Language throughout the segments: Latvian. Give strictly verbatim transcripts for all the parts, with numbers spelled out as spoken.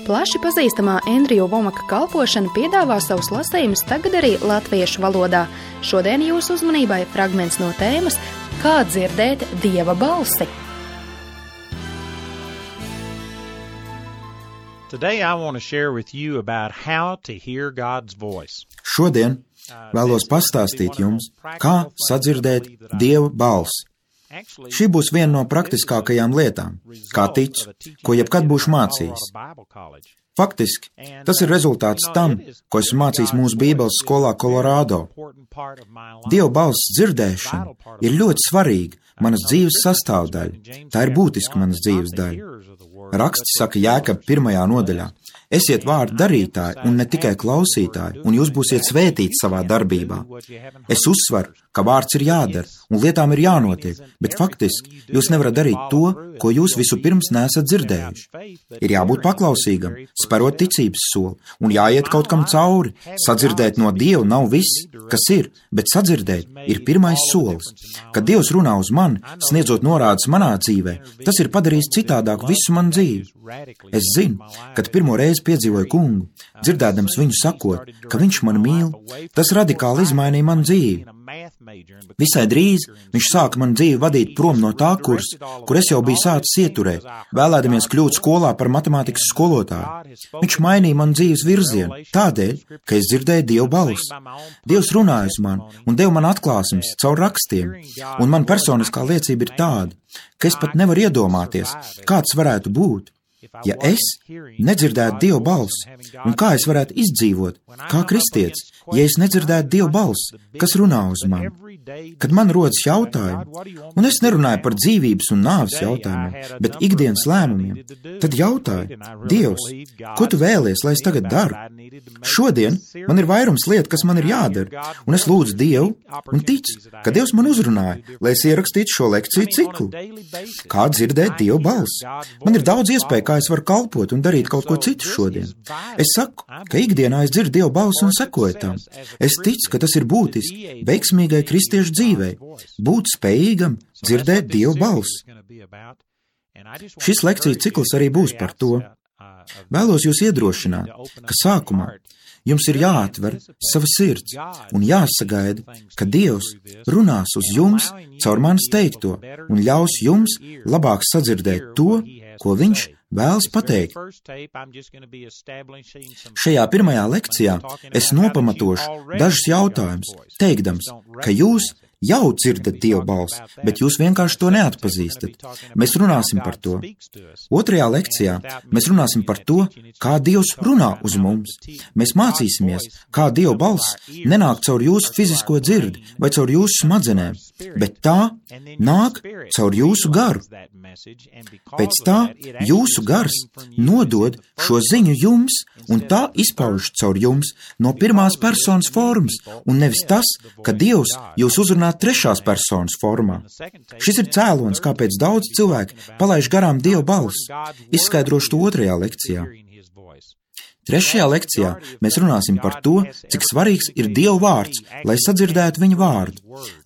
Plaši pazīstamā Endriju Vomaka kalpošana piedāvā savus lasījumus tagad arī latviešu valodā. Šodien jūsu uzmanībai fragments no tēmas Kā dzirdēt Dieva balsi. Today I want to share with you about how to hear God's voice. Šodien vēlos pastāstīt jums, kā sadzirdēt Dieva balsi. Šī būs viena no praktiskākajām lietām, kā ticu, ko jebkad būšu mācījis. Faktiski, tas ir rezultāts tam, ko esmu mācījis mūsu Bībeles skolā Kolorādo. Dieva balss dzirdēšana ir ļoti svarīga manas dzīves sastāvdaļa. Tā ir būtiska manas dzīves daļa. Raksts saka Jēkab pirmajā nodaļā: Esiet vārdu darītāji un ne tikai klausītāji, un jūs būsiet svētīti savā darbībā. Es uzsveru, ka vārds ir jādara un lietām ir jānotiek, bet faktiski jūs nevarat darīt to, ko jūs vispirms neesat dzirdējuši. Ir jābūt paklausīgam, sperot ticības soli, un jāiet kaut kam cauri. Sadzirdēt no Dieva nav viss, kas ir, bet sadzirdēt ir pirmais solis. Kad Dievs runā uz mani, sniedzot norādes manā dzīvē, tas ir padarījis citādāk visu manu dzīvi. Es zinu, kad pirmo reizi piedzīvoju kungu, dzirdēdams viņu sakot, ka viņš mani mīl, tas radikāli izmainīja manu dzīvi. Visai drīz viņš sāka manu dzīvi vadīt prom no tā kursa, kur es jau biju sācis ieturēt, vēlēdamies kļūt skolā par matemātikas skolotāju. Viņš mainīja manu dzīves virzienu, tādēļ, ka es dzirdēju Dieva balsi. Dievs runāja uz mani un deva man atklāsmes caur rakstiem, un man personiskā liecība ir tāda, ka es pat nevaru iedomāties, kāds varētu būt, ja es nedzirdētu Dieva balsi, un kā es varētu izdzīvot, kā kristietis, ja es nedzirdētu Dieva balsi, kas runā uz mani. Kad man rodas jautājumi, un es nerunāju par dzīvības un nāves jautājumiem, bet ikdienas lēmumiem, tad jautāju: Dievs, ko tu vēlies, lai es tagad daru? Šodien man ir vairums lietu, kas man ir jādara, un es lūdzu Dievu un ticu, ka Dievs man uzrunāja, lai es ierakstītu šo lekciju ciklu. Kā dzirdēt Dieva balsi? Man ir daudz iespēju, kā es varu kalpot un darīt kaut ko citu šodien. Es saku, ka ikdienā es dzirdu Dieva balsi un sekoju tam. Es ticu, ka tas ir būtiski veiksmīgai kristiešu dzīvei, būt spējīgam dzirdēt Dieva balsi. Šis lekciju cikls arī būs par to. Vēlos jūs iedrošināt, ka sākumā jums ir jāatver sava sirds un jāsagaida, ka Dievs runās uz jums caur manis teikto un ļaus jums labāk sadzirdēt to, ko viņš vēlas pateikt. Šajā pirmajā lekcijā es nopamatošu dažus jautājumus, teikdams, ka jūs jau dzirdat Dieva balsi, bet jūs vienkārši to neatpazīstat. Mēs runāsim par to. Otrajā lekcijā mēs runāsim par to, kā Dievs runā uz mums. Mēs mācīsimies, kā Dieva balss nenāk caur jūsu fizisko dzirdi vai caur jūsu smadzenēm, bet tā nāk caur jūsu garu. Pēc tā jūsu gars nodod šo ziņu jums, un tā izpaužas caur jums no pirmās personas formas, un nevis tas, ka Dievs jūs uzrunā trešās personas formā. Šis ir cēlonis, kāpēc daudz cilvēki palaiž garām Dieva balsi. Izskaidrošu to otrajā lekcijā. Trešajā lekcijā mēs runāsim par to, cik svarīgs ir Dieva vārds, lai sadzirdētu viņa vārdu.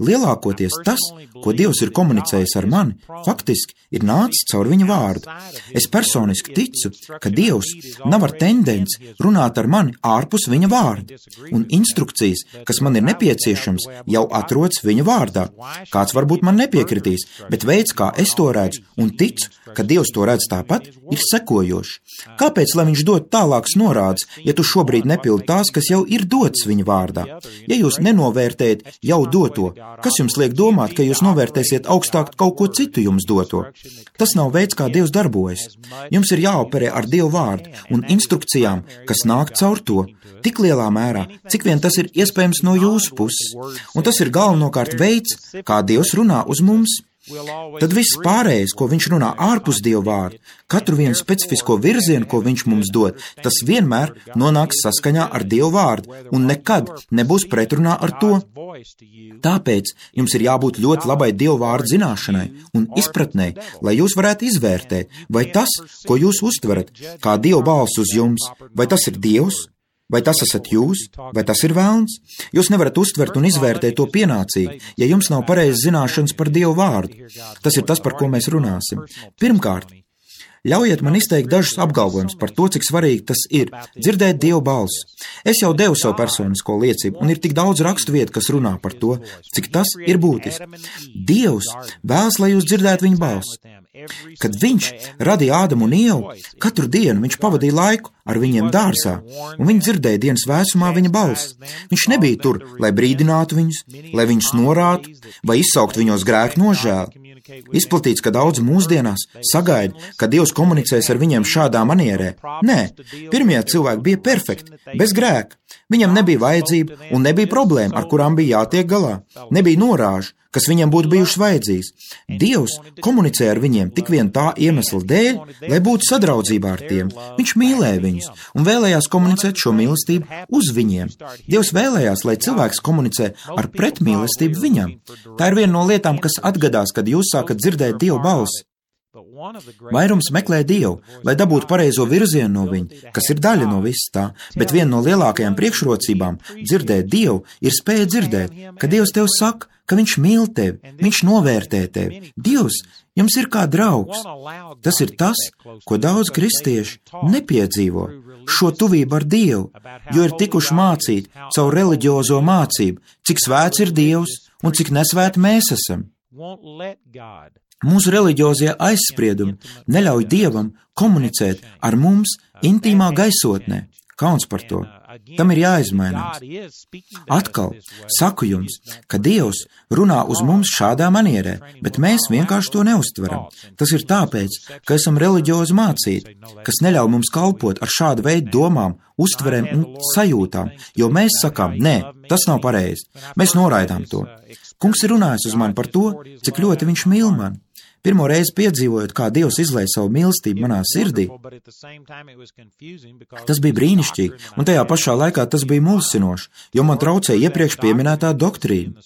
Lielākoties tas, ko Dievs ir komunicējis ar mani, faktiski ir nācis caur viņa vārdu. Es personiski ticu, ka Dievs nav ar tendenci runāt ar mani ārpus viņa vārda, un instrukcijas, kas man ir nepieciešams, jau atrodas viņa vārdā. Kāds varbūt man nepiekritīs, bet veids, kā es to redzu un ticu, ka Dievs to redz tāpat, ir sekojošs. Kāpēc, lai viņš dod tālākas norādes, ja tu šobrīd nepildi tās, kas jau ir dotas viņa vārdā? Ja jūs nenovērtējat jau doto, kas jums liek domāt, ka jūs novērtēsiet augstāk kaut ko citu jums doto? Tas nav veids, kā Dievs darbojas. Jums ir jāoperē ar Dieva vārdu un instrukcijām, kas nāk caur to, tik lielā mērā, cik vien tas ir iespējams no jūsu puses. Un tas ir galvenokārt veids, kā Dievs runā uz mums. Tad viss pārējais, ko viņš runā ārpus Dieva vārda, katru vienu specifisko virzienu, ko viņš mums dod, tas vienmēr nonāks saskaņā ar Dieva vārdu un nekad nebūs pretrunā ar to. Tāpēc jums ir jābūt ļoti labai Dieva vārdu zināšanai un izpratnei, lai jūs varētu izvērtēt, vai tas, ko jūs uztverat, kā Dieva balss uz jums, vai tas ir Dievs, vai tas esat jūs, vai tas ir velns. Jūs nevarat uztvert un izvērtēt to pienācīgi, ja jums nav pareizas zināšanas par Dieva vārdu. Tas ir tas, par ko mēs runāsim. Pirmkārt, Ļaujiet man izteikt dažus apgalvojumus par to, cik svarīgi tas ir dzirdēt Dieva balsi. Es jau devu savu personisko liecību, un ir tik daudz rakstu vietu, kas runā par to, cik tas ir būtiski. Dievs vēlas, lai jūs dzirdētu viņa balsi. Kad viņš radīja Ādamu un Ievu, katru dienu viņš pavadīja laiku ar viņiem dārzā, un viņi dzirdēja dienas vēsumā viņa balsi. Viņš nebija tur, lai brīdinātu viņus, lai viņus norātu vai izsaukt viņos grēku nožēli. Izplatīts, ka daudz mūsdienās sagaida, ka Dievs komunicēs ar viņiem šādā manierē. Nē, pirmie cilvēki bija perfekti, bez grēka. Viņam nebija vajadzība un nebija problēma, ar kurām bija jātiek galā. Nebija norāžu, kas viņam būtu bijušas vajadzīgas. Dievs komunicē ar viņiem tik vien tā iemesla dēļ, lai būtu sadraudzībā ar tiem. Viņš mīlēja viņus un vēlējās komunicēt šo mīlestību uz viņiem. Dievs vēlējās, lai cilvēks komunicē ar pretmīlestību viņam. Tā ir viena no lietām, kas atgadās, kad jūs sākat dzirdēt Dieva balsi. Vairums meklē Dievu, lai dabūtu pareizo virzienu no viņa, kas ir daļa no viss tā, bet viena no lielākajām priekšrocībām dzirdēt Dievu ir spēja dzirdēt, ka Dievs tev saka, ka viņš mīl tevi, viņš novērtē tevi. Dievs jums ir kā draugs. Tas ir tas, ko daudz kristieši nepiedzīvo, šo tuvību ar Dievu, jo ir tikuši mācīti caur reliģiozo mācību, cik svēts ir Dievs un cik nesvēti mēs esam. Mūsu reliģiozie aizspriedumi neļauj Dievam komunicēt ar mums intīmā gaisotnē. Kauns par to. Tam ir jāizmainās. Atkal saku jums, ka Dievs runā uz mums šādā manierē, bet mēs vienkārši to neuztveram. Tas ir tāpēc, ka esam reliģiozi mācīti, kas neļauj mums kalpot ar šādu veidu domām, uztverēm un sajūtām, jo mēs sakām, nē, tas nav pareizi. Mēs noraidām to. Kungs ir runājis uz mani par to, cik ļoti viņš mīl mani. Pirmo reizi piedzīvojot, kā Dievs izlēja savu mīlestību manā sirdī, tas bija brīnišķīgi, un tajā pašā laikā tas bija mulsinoši, jo man traucēja iepriekš pieminētā doktrīna.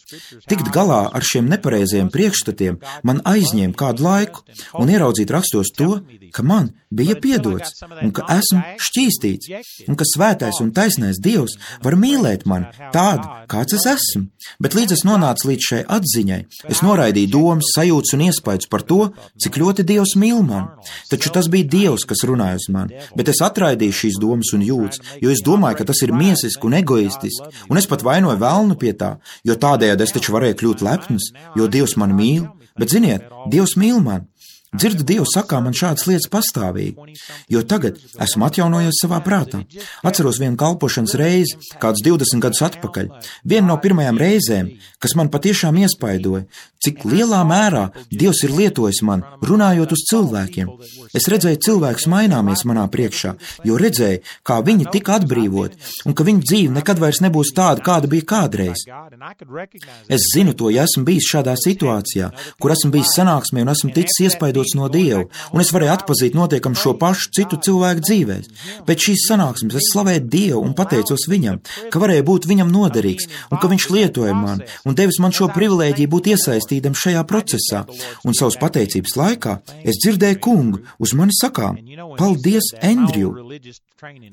Tikt galā ar šiem nepareizajiem priekšstatiem man aizņēma kādu laiku, un ieraudzīt rakstos to, ka man bija piedots, un ka esmu šķīstīts, un ka svētais un taisnais Dievs var mīlēt mani tādu, kāds es esmu. Bet līdz es nonācu līdz šai atziņai, es noraidīju domas, sajūtas un iespaidus par to, cik ļoti Dievs mīl mani. Taču tas bija Dievs, kas runāja uz mani, bet es atraidīju šīs domas un jūtas, jo es domāju, ka tas ir miesiski un egoistiski, un es pat vainoju velnu pie tā, jo tādējādi es taču varēju kļūt lepns, jo Dievs mani mīl, bet ziniet, Dievs mīl mani. Dzirdu Dievu sakā man šādas lietas pastāvīgi, jo tagad esmu atjaunojies savā prātā. Atceros vienu kalpošanas reizi, kādus divdesmit gadus atpakaļ. Viena no pirmajām reizēm, kas man patiešām iespaidoja, cik lielā mērā Dievs ir lietojis man, runājot uz cilvēkiem. Es redzēju cilvēkus maināmies manā priekšā, jo redzēju, kā viņi tika atbrīvoti, un ka viņu dzīve nekad vairs nebūs tāda, kāda bija kādreiz. Es zinu to, ja esmu bijis šādā situācijā, kur esmu bijis sanāksmē un esmu ticis iespaidots no Dieva, un es varēju atpazīt notiekam šo pašu citu cilvēku dzīvēs. Pēc šīs sanāksmes es slavēju Dievu un pateicos viņam, ka varēju būt viņam noderīgs, un ka viņš lietoja mani, un devis man šo privilēģiju būt iesaistītam šajā procesā. Un savas pateicības laikā es dzirdēju kungu uz mani sakām, paldies, Andriju.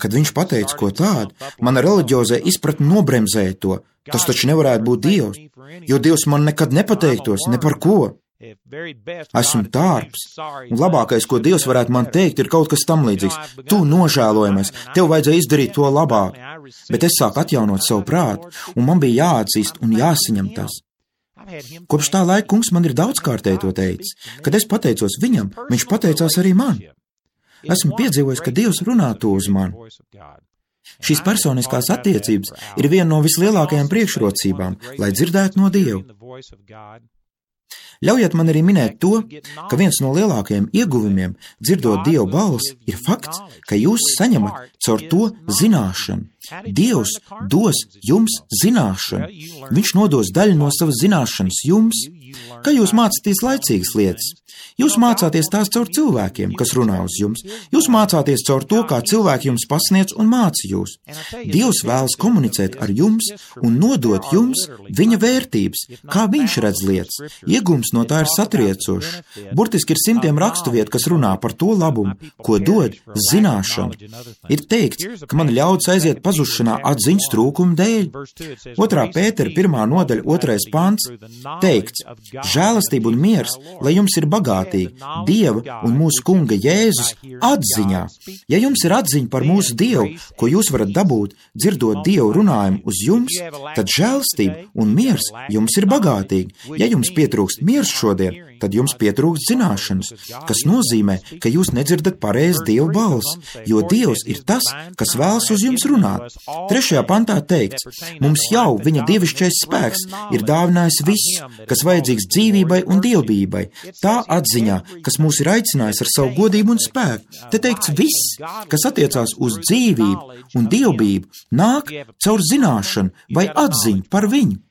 Kad viņš pateica ko tādu, mana reliģiozē izpratne nobremzēja to. Tas taču nevarētu būt Dievs, jo Dievs man nekad nepateiktos, ne par ko. Esmu tārps, un labākais, ko Dievs varētu man teikt, ir kaut kas tam līdzīgs. Tu nožēlojamies, tev vajadzēja izdarīt to labāk, bet es sāku atjaunot savu prātu, un man bija jāatzīst un jāsaņem tas. Kopš tā laika kungs man ir daudzkārtēji to teicis. Kad es pateicos viņam, viņš pateicās arī man. Esmu piedzīvojis, ka Dievs runā to uz mani. Šīs personiskās attiecības ir viena no vislielākajām priekšrocībām, lai dzirdētu no Dieva. Ļaujiet man arī minēt to, ka viens no lielākajiem ieguvumiem, dzirdot Dieva balsi, ir fakts, ka jūs saņemat caur to zināšanu. Dievs dos jums zināšanu. Viņš nodos daļu no savas zināšanas jums. Kā jūs mācāties laicīgas lietas? Jūs mācāties tās caur cilvēkiem, kas runā uz jums. Jūs mācāties caur to, kā cilvēki jums pasniedz un māca jūs. Dievs vēlas komunicēt ar jums un nodot jums viņa vērtības, kā viņš redz lietas. Iegums no tā ir satriecošs. Burtiski ir simtiem rakstuviet, kas runā par to labumu, ko dod zināšana. Ir teikts, ka man ļauts aiziet pazudīt pazušanā atziņas trūkuma dēļ. Otrā Pētera pirmā nodaļa otrais pants teikts: žēlastība un miers, lai jums ir bagātīgi Dieva un mūsu Kunga Jēzus atziņā. Ja jums ir atziņa par mūsu Dievu, ko jūs varat dabūt, dzirdot Dievu runājumu uz jums, tad žēlastība un miers jums ir bagātīgi. Ja jums pietrūkst miers šodien, tad jums pietrūkst zināšanas, kas nozīmē, ka jūs nedzirdat pareizi Dieva balsi, jo Dievs ir tas, kas vēlas uz jums runāt. Trešajā pantā teikts: mums jau viņa dievišķais spēks ir dāvinājis visu, kas vajadzīgs dzīvībai un dievbijībai, tā atziņā, kas mūs ir aicinājis ar savu godību un spēku. Te teikts viss, kas attiecās uz dzīvību un dievbijību, nāk caur zināšanu vai atziņu par viņu.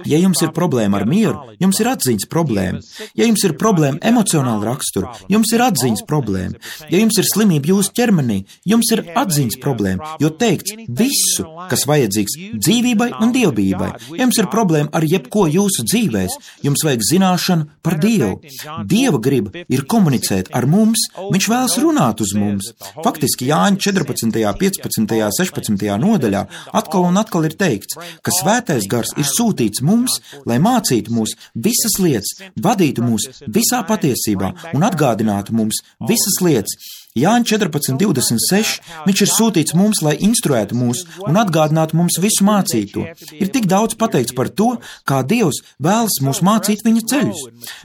Ja jums ir problēma ar mieru, jums ir atziņas problēma. Ja jums ir problēma emocionāla rakstura, jums ir atziņas problēma. Ja jums ir slimība jūsu ķermenī, jums ir atziņas problēma, jo teikts visu, kas vajadzīgs dzīvībai un dievbijībai. Ja jums ir problēma ar jebko jūsu dzīvēs, jums vajag zināšanu par Dievu. Dieva griba ir komunicēt ar mums, viņš vēlas runāt uz mums. Faktiski Jāņa četrpadsmitajā, piecpadsmitajā, sešpadsmitajā nodaļā atkal un atkal ir teikts, ka svētais gars ir sūtīts mums, lai mācītu mūs visas lietas, vadītu mūs visā patiesībā un atgādinātu mums visas lietas. Jāņa četrpadsmit divdesmit seši, viņš ir sūtīts mums, lai instruētu mūs un atgādinātu mums visu mācīto. Ir tik daudz pateikts par to, kā Dievs vēlas mūs mācīt viņa ceļus,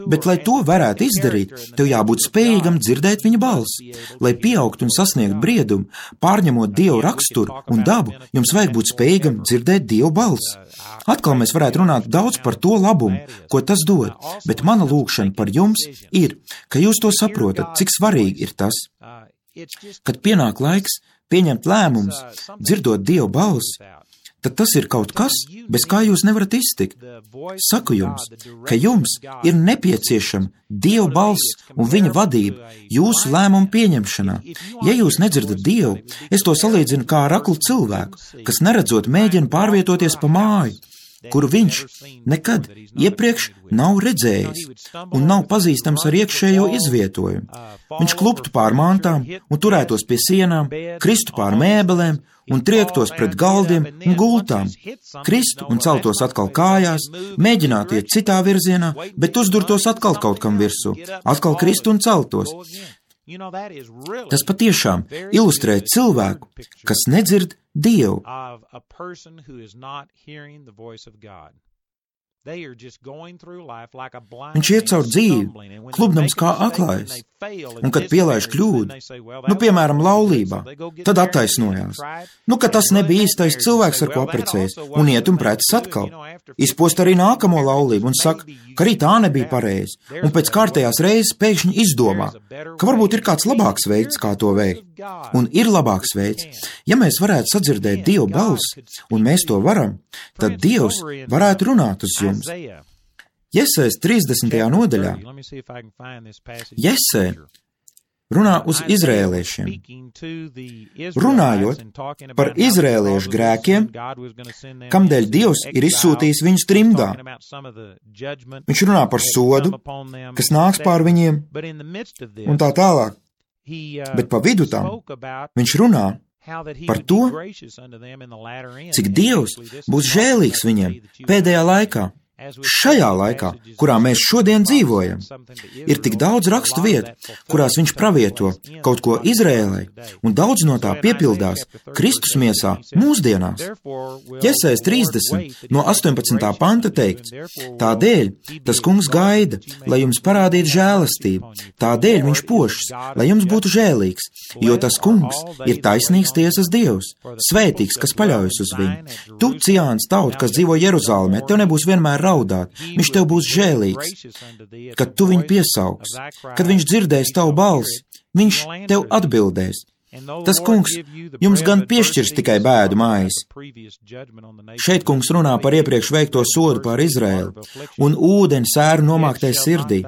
bet, lai to varētu izdarīt, tev jābūt spējīgam dzirdēt viņa balsi. Lai pieaugt un sasniegt briedumu, pārņemot Dievu raksturu un dabu, jums vajag būt spējīgam dzirdēt Dievu balsi. Atkal mēs varētu runāt daudz par to labumu, ko tas dod, bet mana lūgšana par jums ir, ka jūs to saprotat, cik svarīgi ir tas. Kad pienāk laiks pieņemt lēmumus, dzirdot Dieva balsi, tad tas ir kaut kas, bez kā jūs nevarat iztikt. Saku jums, ka jums ir nepieciešama Dieva balss un viņa vadība jūsu lēmumu pieņemšanā. Ja jūs nedzirdat Dievu, es to salīdzinu kā ar aklu cilvēku, kas neredzot mēģina pārvietoties pa māju, kuru viņš nekad iepriekš nav redzējis un nav pazīstams ar iekšējo izvietojumu. Viņš kluptu pār mantām un turētos pie sienām, kristu pār mēbelēm un triektos pret galdiem un gultām, kristu un celtos atkal kājās, mēģinātu iet citā virzienā, bet uzdurtos atkal kaut kam virsū, atkal kristu un celtos. Tas patiešām ilustrē cilvēku, kas nedzird Dievu. Viņš iet caur dzīvi, klubnams kā aklājs, un kad pielaiž kļūdu, nu, piemēram, laulībā, tad attaisnojās. Nu, ka tas nebija īstais cilvēks, ar ko apprecējas, un iet un preces atkal. Izpost arī nākamo laulību un saka, ka arī tā nebija pareizi, un pēc kārtējās reizes pēkšņi izdomā, ka varbūt ir kāds labāks veids, kā to veikt. Un ir labāks veids. Ja mēs varētu sadzirdēt Dieva balsi, un mēs to varam, tad Dievs varētu runāt uz jums. Jesējas trīsdesmitajā nodaļā Jesē runā uz izrēliešiem. Runājot par izrēliešu grēkiem, kamdēļ Dievs ir izsūtījis viņus trimdā. Viņš runā par sodu, kas nāks pār viņiem, un tā tālāk. Bet pa vidu tam viņš runā par to, cik Dievs būs žēlīgs viņiem pēdējā laikā. Šajā laikā, kurā mēs šodien dzīvojam, ir tik daudz rakstu vietu, kurās viņš pravieto kaut ko Izrēlai, un daudz no tā piepildās Kristus miesā mūsdienās. Jesējas trīsdesmit no astoņpadsmitā panta teikts: tādēļ tas kungs gaida, lai jums parādītu žēlastību, tādēļ viņš pošas, lai jums būtu žēlīgs, jo tas kungs ir taisnīgs tiesas Dievs, svētīgs, kas paļaujas uz viņu. Tu, Ciānas tauta, kas dzīvo Jeruzalemē, tev nebūs vienmēr raudāt, viņš tev būs žēlīgs, kad tu viņu piesauks, kad viņš dzirdēs tavu balsi, viņš tev atbildēs. Tas kungs jums gan piešķirs tikai bēdu mājas. Šeit kungs runā par iepriekš veikto sodu pār Izraēlu un ūdeni sēru nomāktai sirdī,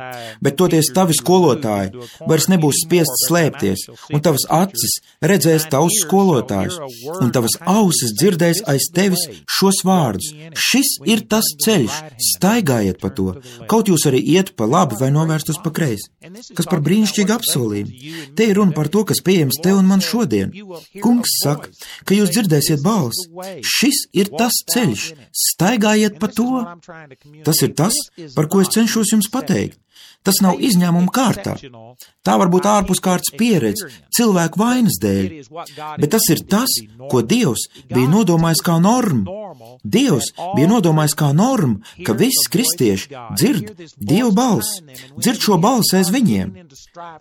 bet toties tavi skolotāji vairs nebūs spiest slēpties, un tavas acis redzēs tavus skolotājus, un tavas ausis dzirdēs aiz tevis šos vārdus. Šis ir tas ceļš, staigājiet pa to, kaut jūs arī iet pa labi vai novērst uz pa kreisi. Kas par brīnišķīgu apsolījumu. Te ir runa par to, kas pieejams tev un man šodien. Kungs saka, ka jūs dzirdēsiet balsi. Šis ir tas ceļš, staigājiet pa to. Tas ir tas, par ko es cenšos jums pateikt. Tas nav izņēmuma kārtā. Tā var būt ārpuskārtas pieredze, cilvēku vainas dēļ, bet tas ir tas, ko Dievs bija nodomājis kā normu. Dievs bija nodomājis kā normu, ka visi kristieši dzird Dieva balsi, dzird šo balsi aiz viņiem.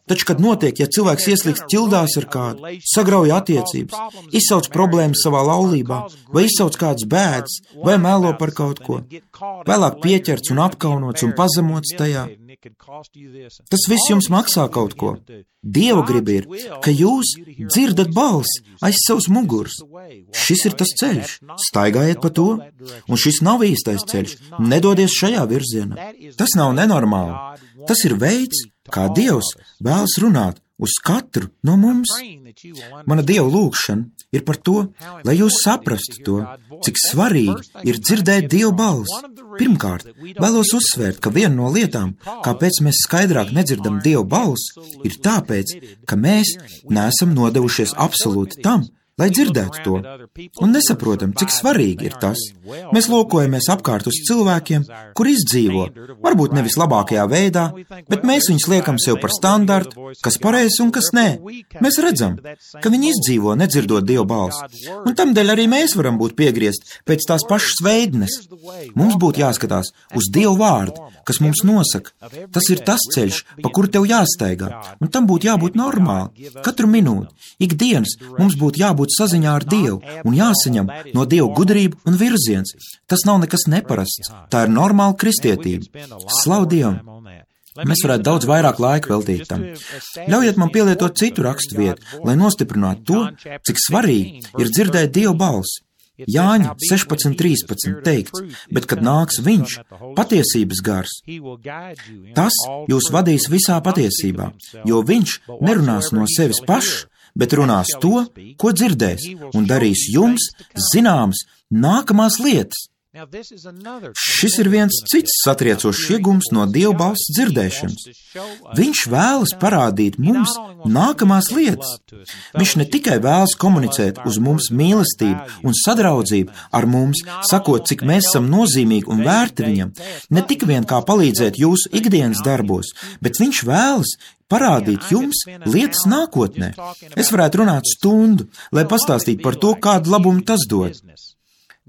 Taču, kad notiek, ja cilvēks ieslīgst ķildās ar kādu, sagrauj attiecības, izsauc problēmas savā laulībā, vai izsauc kādas bēdas, vai melo par kaut ko, vēlāk pieķerts un apkaunots un pazemots tajā, tas viss jums maksā kaut ko. Dieva griba ir, ka jūs dzirdat balsi aiz savas muguras. Šis ir tas ceļš, staigājiet pa to, un šis nav īstais ceļš, nedodies šajā virzienā. Tas nav nenormāli. Tas ir veids, kā Dievs vēlas runāt uz katru no mums. Mana Dieva lūgšana ir par to, lai jūs saprastu to, cik svarīgi ir dzirdēt Dieva balsi. Pirmkārt, vēlos uzsvērt, ka viena no lietām, kāpēc mēs skaidrāk nedzirdam Dieva balsi, ir tāpēc, ka mēs neesam nodevušies absolūti tam, lai dzirdētu to, un nesaprotam, cik svarīgi ir tas. Mēs lūkojamies apkārt uz cilvēkiem, kur izdzīvo, varbūt nevis labākajā veidā, bet mēs viņus liekam sev par standartu, kas pareizs un kas nē. Mēs redzam, ka viņi izdzīvo, nedzirdot Dieva balsi, un tamdēļ arī mēs varam būt piegriezt pēc tās pašas veidnes. Mums būtu jāskatās uz Dieva vārdu, kas mums nosaka. Tas ir tas ceļš, pa kuru tev jāstaigā, un tam būtu jābūt normāli. Katru minūti, ikdienas mums būtu jābūt saziņā ar Dievu un jāsaņem no Dieva gudrība un virziens. Tas nav nekas neparasts. Tā ir normāla kristietība. Slavu Dievam! Mēs varētu daudz vairāk laika veltīt tam. Ļaujiet man pielietot citu rakstu vietu, lai nostiprinātu to, cik svarīgi ir dzirdēt Dieva balsi. Jāņa sešpadsmit trīspadsmit teikts, bet kad nāks viņš, patiesības gars, tas jūs vadīs visā patiesībā, jo viņš nerunās no sevis pašs, bet runās to, ko dzirdēs, un darīs jums zināmas nākamās lietas. Šis ir viens cits satriecošs iegums no Dieva balss dzirdēšanas. Viņš vēlas parādīt mums nākamās lietas. Viņš ne tikai vēlas komunicēt uz mums mīlestību un sadraudzību ar mums, sakot, cik mēs esam nozīmīgi un vērti viņam, ne tik vien kā palīdzēt jūsu ikdienas darbos, bet viņš vēlas parādīt jums lietas nākotnē. Es varētu runāt stundu, lai pastāstītu par to, kādu labumu tas dod.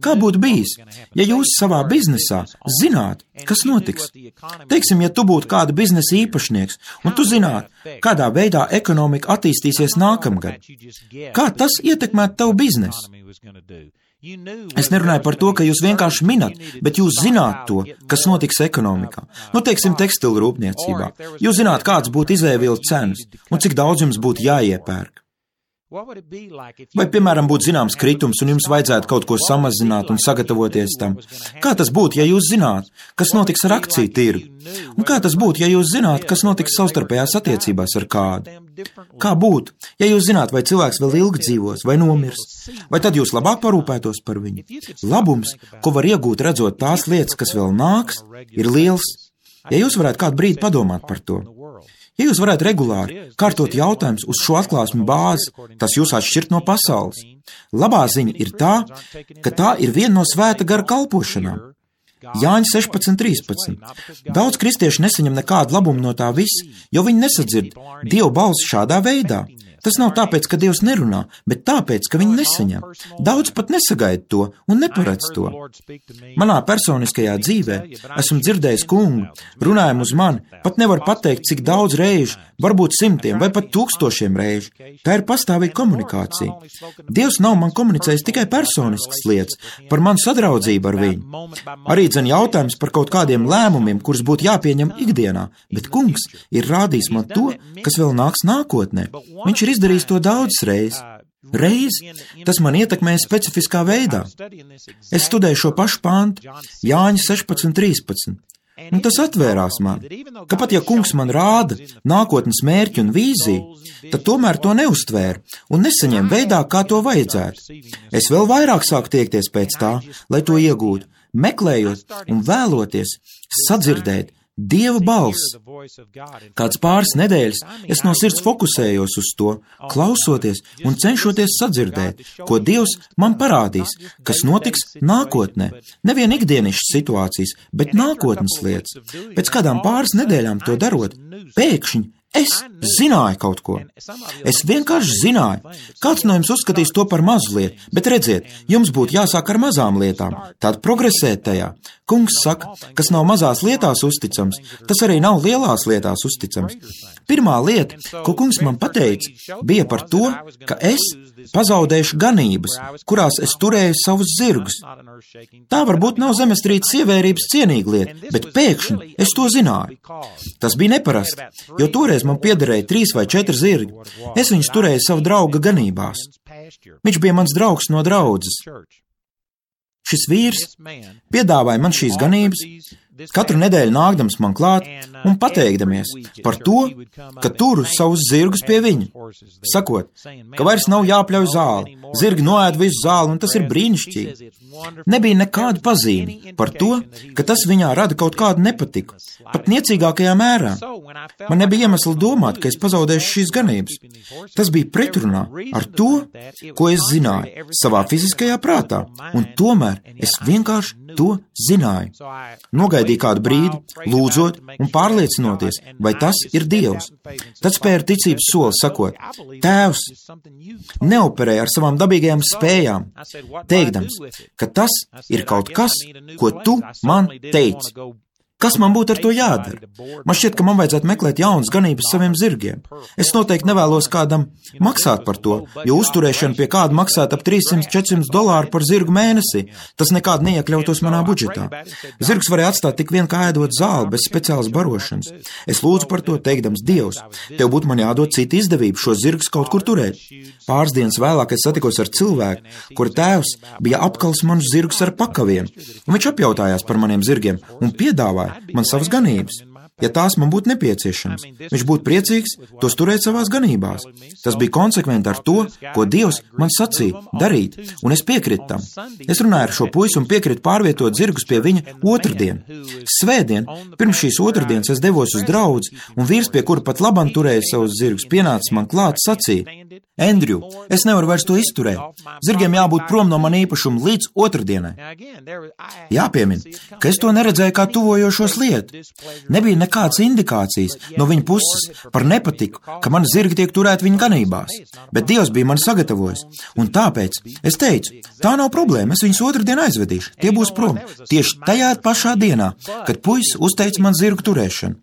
Kā būtu bijis, ja jūs savā biznesā zināt, kas notiks? Teiksim, ja tu būtu kāda biznesa īpašnieks, un tu zināt, kādā veidā ekonomika attīstīsies nākamgad. Kā tas ietekmētu tavu biznesu? Es nerunāju par to, ka jūs vienkārši minat, bet jūs zināt to, kas notiks ekonomikā. Nu, teiksim, tekstilu rūpniecībā. Jūs zināt, kāds būtu izēvielu cenas, un cik daudz jums būtu jāiepērk. Vai, piemēram, būtu zināms kritums, un jums vajadzētu kaut ko samazināt un sagatavoties tam? Kā tas būtu, ja jūs zināt, kas notiks ar akciju tirgu? Un kā tas būtu, ja jūs zināt, kas notiks savstarpējās attiecībās ar kādu? Kā būtu, ja jūs zināt, vai cilvēks vēl ilgi dzīvos, vai nomirs? Vai tad jūs labāk parūpētos par viņu? Labums, ko var iegūt redzot tās lietas, kas vēl nāks, ir liels. Ja jūs varētu kādu brīdi padomāt par to. Ja jūs varētu regulāri kārtot jautājumus uz šo atklāsmi bāzi, tas jūs atšķirt no pasaules. Labā ziņa ir tā, ka tā ir viena no svēta gara kalpošanām. Jāņa sešpadsmit trīspadsmit. Daudz kristiešu nesaņem nekādu labumu no tā visa, jo viņi nesadzird Dieva balsi šādā veidā. Tas nav tāpēc, ka Dievs nerunā, bet tāpēc, ka viņi nesaņem. Daudz pat nesagaida to un neparedz to. Manā personiskajā dzīvē esmu dzirdējis kungu, runājumu uz mani, pat nevar pateikt, cik daudz reižu, varbūt simtiem vai pat tūkstošiem reižu. Tā ir pastāvīga komunikācija. Dievs nav man komunicējis tikai personiskas lietas, par manu sadraudzību ar viņu. Arī dzen jautājums par kaut kādiem lēmumiem, kurus būtu jāpieņem ikdienā, bet kungs ir rādījis man to, kas vēl nāks nākotnē. Viņš ir izdarījis to daudzas reizes. Reiz tas man ietekmēja specifiskā veidā. Es studēju šo pašu pantu, Jāņa sešpadsmit trīspadsmit. Un tas atvērās man, ka pat ja kungs man rāda nākotnes mērķi un vīziju, tad tomēr to neuztvēru un nesaņēmu veidā, kā to vajadzētu. Es vēl vairāk sāku tiekties pēc tā, lai to iegūtu, meklējot un vēloties sadzirdēt Dieva balss. Kāds pāris nedēļas es no sirds fokusējos uz to, klausoties un cenšoties sadzirdēt, ko Dievs man parādīs, kas notiks nākotnē. Nevien ikdienišas situācijas, bet nākotnes lietas. Pēc kādām pāris nedēļām to darot, pēkšņi es zināju kaut ko. Es vienkārši zināju. Kāds no jums uzskatīs to par mazu lietu, bet redziet, jums būtu jāsāk ar mazām lietām, tad progresēt tajā. Kungs saka, kas nav mazās lietās uzticams, tas arī nav lielās lietās uzticams. Pirmā lieta, ko kungs man pateica, bija par to, ka es pazaudēšu ganības, kurās es turēju savus zirgus. Tā varbūt nav zemestrīces ievērības cienīga lieta, bet pēkšņi es to zināju. Tas bija neparasti, jo toreiz man piederēja trīs vai četri zirgi. Es viņus turēju savu drauga ganībās. Viņš bija mans draugs no draudzes. Šis vīrs piedāvāja man šīs ganības, katru nedēļu nākdams man klāt un pateikdamies par to, ka turu savus zirgus pie viņa, sakot, ka vairs nav jāpļauj zāli, zirgi noēd visu zāli un tas ir brīnišķīgi. Nebija nekāda pazīme par to, ka tas viņā rada kaut kādu nepatiku, pat niecīgākajā mērā. Man nebija iemesla domāt, ka es pazaudēšu šīs ganības. Tas bija pretrunā ar to, ko es zināju savā fiziskajā prātā, un tomēr es vienkārši to zināju. Nogaidīju kādu brīdi, lūdzot un pārliecinoties, vai tas ir Dievs. Tad spēra ticības soli, sakot, Tēvs, neoperēja ar savām dabīgajām spējām, teikdams, ka tas ir kaut kas, ko tu man teici. Kas man būtu ar to jādara? Man šķiet, ka man vajadzētu meklēt jaunas ganības saviem zirgiem. Es noteikti nevēlos kādam maksāt par to, jo uzturēšana pie kāda maksāt ap trīssimts līdz četrsimts dolāru par zirgu mēnesī. Tas nekād neiekļautos manā budžetā. Zirgs varēja atstāt tik vien kā ēdot zāli bez speciālas barošanas. Es lūdzu par to, teikdams, Dievs, tev būtu man jādod cita izdevība šos zirgus kaut kur turēt. Pāris dienas vēlāk es satikos ar cilvēku, kura tēvs bija apkals manus zirgus ar pakaviem, un viņš apjautājās par maniem zirgiem un piedāvāja man savas ganības. Ja tās man būtu nepieciešams, viņš būtu priecīgs tos turēt savās ganībās. Tas bija konsekventi ar to, ko Dievs man sacīja darīt, un es piekritu tam. Es runāju ar šo puisi un piekritu pārvietot zirgus pie viņa otrdien. Svētdien, pirms šīs otrdienas es devos uz draudzi, un vīrs, pie kura pat labam turēja savus zirgus, pienācis man klāt, sacīja, Andrew, es nevaru vairs to izturēt. Zirgiem jābūt prom no man īpašuma līdz otrdienai. Jāpiemina, ka es to neredzēju kā tuvojošos lietu. Nebija nekādas indikācijas no viņa puses par nepatiku, ka mani zirgi tiek turēti viņa ganībās, bet Dievs bija man sagatavojis. Un tāpēc es teicu, tā nav problēma, es viņus otrdien aizvedīšu, tie būs prom. Tieši tajā pašā dienā, kad puisis uzteica man zirgu turēšanu.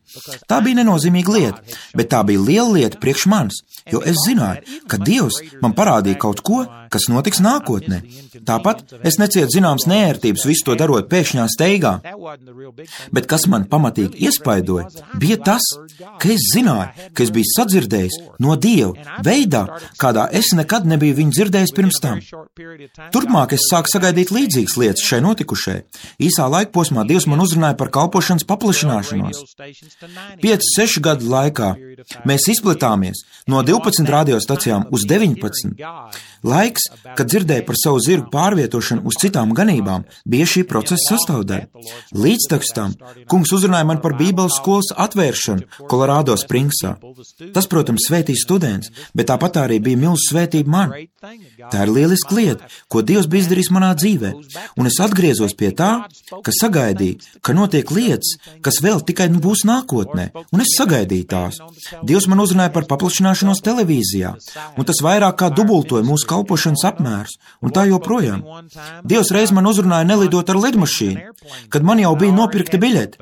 Tā bija nenozīmīga lieta, bet tā bija liela lieta priekš manis, jo es zināju, ka Dievs man parādīja kaut ko, kas notiks nākotnē. Tāpat es necietu zināmas neērtības visu to darot pēkšņā steigā. Bet kas man pamatīgi iespaidoja, bija tas, ka es zināju, ka es biju sadzirdējis no Dieva veidā, kādā es nekad nebiju viņu dzirdējis pirms tam. Turpmāk es sāku sagaidīt līdzīgas lietas šai notikušai. Īsā laika posmā Dievs man uzrunāja par kalpošanas paplašināšanos. Pieci, seši gadu laikā mēs izplatāmies no divpadsmit radiostacijām uz deviņpadsmit. Laiks, kad dzirdēju par savu zirgu pārvietošanu uz citām ganībām, bija šī procesa sastāvdaļa. Līdztekus tam kungs uzrunāja man par Bībeles skolas atvēršanu Kolorādo Springsā. Tas, protams, svētīja students, bet tāpat arī bija milzu svētība man. Tā ir lieliska lieta, ko Dievs bija izdarījis manā dzīvē, un es atgriezos pie tā, ka sagaidīju, ka notiek lietas, kas vēl tikai būs nākotnē, un es sagaidīju tās. Dievs man uzrunāja par paplašināšanos televīzijā, un tas vairāk kā dubultoja mūsu kalpošanas apmērus, un tā joprojām. Dievs reiz man uzrunāja nelidot ar lidmašīnu, kad man jau bija nopirkta biļete.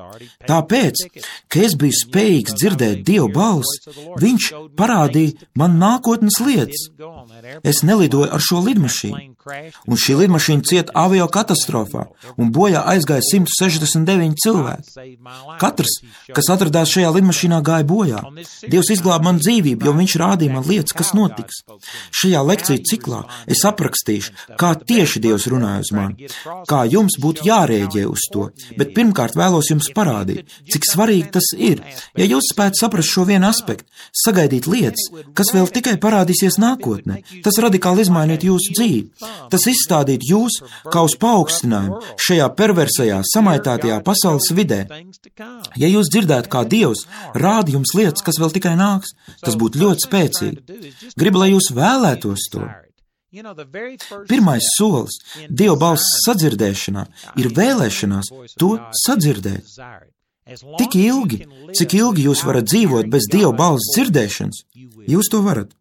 Tāpēc, ka es biju spējīgs dzirdēt Dieva balsi, viņš parādīja man nākotnes lietas. Es nelidoju ar šo lidmašīnu, un šī lidmašīna cieta avio katastrofā, un bojā aizgāja simt sešdesmit deviņi cilvēki. Katrs, kas atradās šajā lidmašīnā, gāja bojā, Dievs izglāba man dzīvību, jo viņš rādīja man lietas, kas notiks. Šajā lekciju ciklā es aprakstīšu, kā tieši Dievs runāja uz mani, kā jums būtu jārēģē uz to, bet pirmkārt vēlos jums parādīt, cik svarīgi tas ir. Ja jūs spētu saprast šo vienu aspektu, sagaidīt lietas, kas vēl tikai parādīsies nākotnē, tas radikāli izmainītu jūsu dzīvi. Tas izstādītu jūs kā uz paaugstinājumu šajā perversajā, samaitātajā pasaules vidē. Ja jūs dzirdētu, kā Dievs rāda jums lietas, kas vēl tikai nāks, tas būtu ļoti spēcīgi. Gribu, lai jūs vēlētos to. Pirmais solis Dieva balss sadzirdēšanā ir vēlēšanās to sadzirdēt. Tik ilgi, cik ilgi jūs varat dzīvot bez Dieva balss dzirdēšanas, jūs to varat.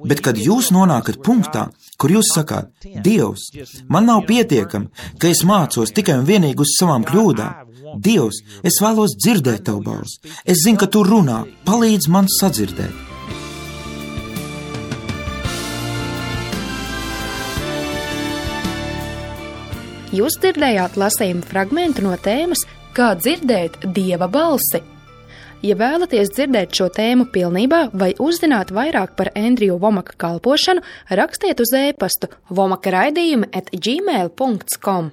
Bet, kad jūs nonākat punktā, kur jūs sakāt, Dievs, man nav pietiekami, ka es mācos tikai un vienīgi uz savām kļūdām. Dievs, es vēlos dzirdēt tavu balsi. Es zinu, ka tu runā, palīdz man sadzirdēt. Jūs dzirdējāt lasījumu fragmentu no tēmas Kā dzirdēt Dieva balsi. Ja vēlaties dzirdēt šo tēmu pilnībā vai uzzināt vairāk par Endriju Vomaka kalpošanu, rakstiet uz e-pastu vomaka raidījumi at gmail dot com.